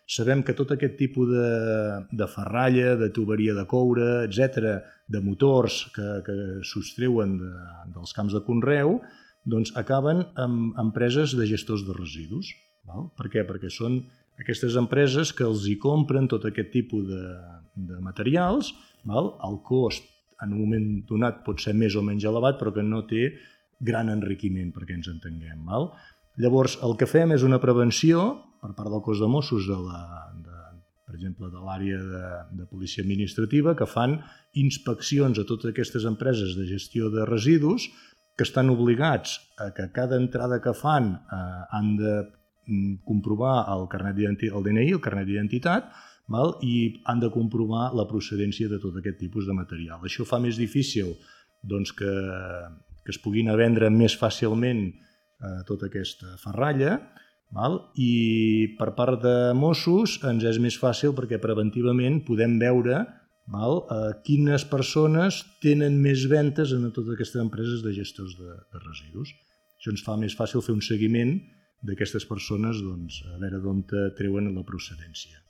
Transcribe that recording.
sabem que tot aquest tipus de ferralla, de tuberia de coure, etc., de motors que sostreuen dels camps de conreu, doncs acaben amb empreses de gestors de residus. Per què? Perquè són aquestes empreses que els hi compren tot aquest tipus de materials, el cost en un moment donat pot ser més o menys elevat, però que no té gran enriquiment, perquè ens entenguem. Llavors, el que fem és una prevenció per part del cos de Mossos, per exemple, de l'àrea de policia administrativa, que fan inspeccions a totes aquestes empreses de gestió de residus que estan obligats a que cada entrada que fan han de comprovar el DNI, el carnet d'identitat, i han de comprovar la procedència de tot aquest tipus de material. Això fa més difícil que es puguin vendre més fàcilment tota aquesta ferralla, i per part de Mossos ens és més fàcil perquè preventivament podem veure quines persones tenen més ventes en totes aquestes empreses de gestors de residus. Això ens fa més fàcil fer un seguiment d'aquestes persones, a veure d'on treuen la procedència.